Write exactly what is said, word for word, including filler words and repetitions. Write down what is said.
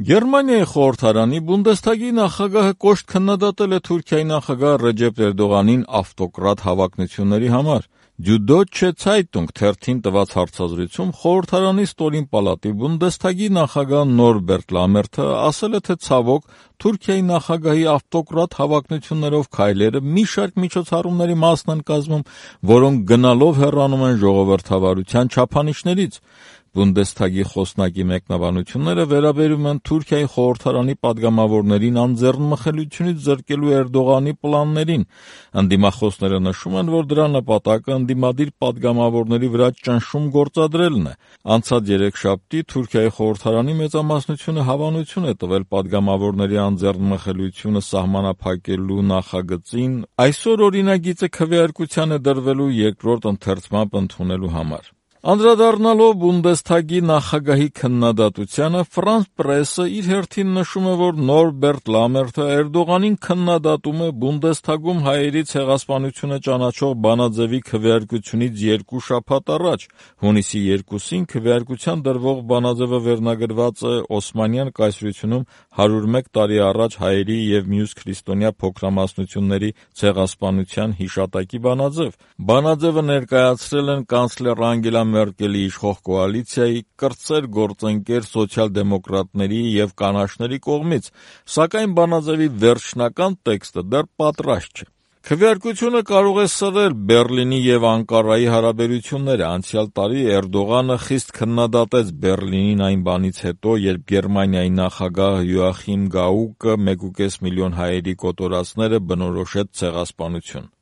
Գերմանիայի խորհրդարանի Բունդեսթագի նախագահը կոշտ քննադատել է Թուրքիայի նախագահ Ռեջեփ Էրդողանին ավտոկրատ հավակնությունների համար։ «Süddeutsche Zeitung» թերթին տված հարցազրույցում խորհրդարանի ստորին պալատի Բունդեսթագի նախագահ Նորբերտ Լամերթը ասել է, թե ցավոք Թուրքիայի նախագահի ավտոկրատ հավակնություններով քայլերը մի շարք միջոցառումների մասն են կազմում, որոնք գնալով հեռանում են ժողովրդավարության չափանիշներից։ Բունդեսթագի խոսնակի մեկնաբանությունները վերաբերում են Թուրքիայի խորհրդարանի պատգամավորներին անձեռնմխելիությունից զրկելու Էրդողանի պլաններին։ Ընդդիմախոսները նշում են, որ դրա նպատակը ընդդիմադիր պատգամավորների վրա ճնշում գործադրելն է։ Անցած երեքշաբթի Թուրքիայի խորհրդարանի մեծամասնությունը հավանություն է տվել պատգամավորների անձեռնմխելիությունը սահմանափակելու նախագծին, այսօր օրինագիծը քվեարկության է դրվելու երկրորդ ընթերցմամբ ընդունելու համար։ Անդրադառնալով Բունդեսթագի նախագահի քննադատությանը, Ֆրանս պրեսը իր հերթին նշում է, որ Նորբերտ Լամերթը Էրդողանին քննադատում է Բունդեսթագում հայերի ցեղասպանությունը ճանաչող բանաձևի քվեարկությունից երկու շաբաթ առաջ։ Հունիսի երկուսին քվեարկության դրվող բանաձևը վերնագրված է Օսմանյան կայսրությունում հարյուր մեկ տարի առաջ հայերի և մյուս քրիստոնյա փոքրամասնությունների ցեղասպանության հիշատակի բանաձև։ Բանաձևը ներկայացրել են կանցլեր Անգելա Մերկելի իշխող կոալիցիայի, կրտսեր գործընկեր սոցիալ-դեմոկրատների և կանաչների կողմից, սակայն բանաձևի վերջնական տեքստը դեռ պատրաստ չէ։ Քվեարկությունը կարող է սրել Բեռլինի և Անկարայի հարաբերությունները։ Անցյալ տարի Էրդողանը խիստ քննադատեց Բեռլինին այն բանից հետո, երբ Գերմանիայի նախագահ Յոախիմ Գաուկը մեկուկես միլիոն հայերի կոտորածները բնորոշեց ցեղասպանություն։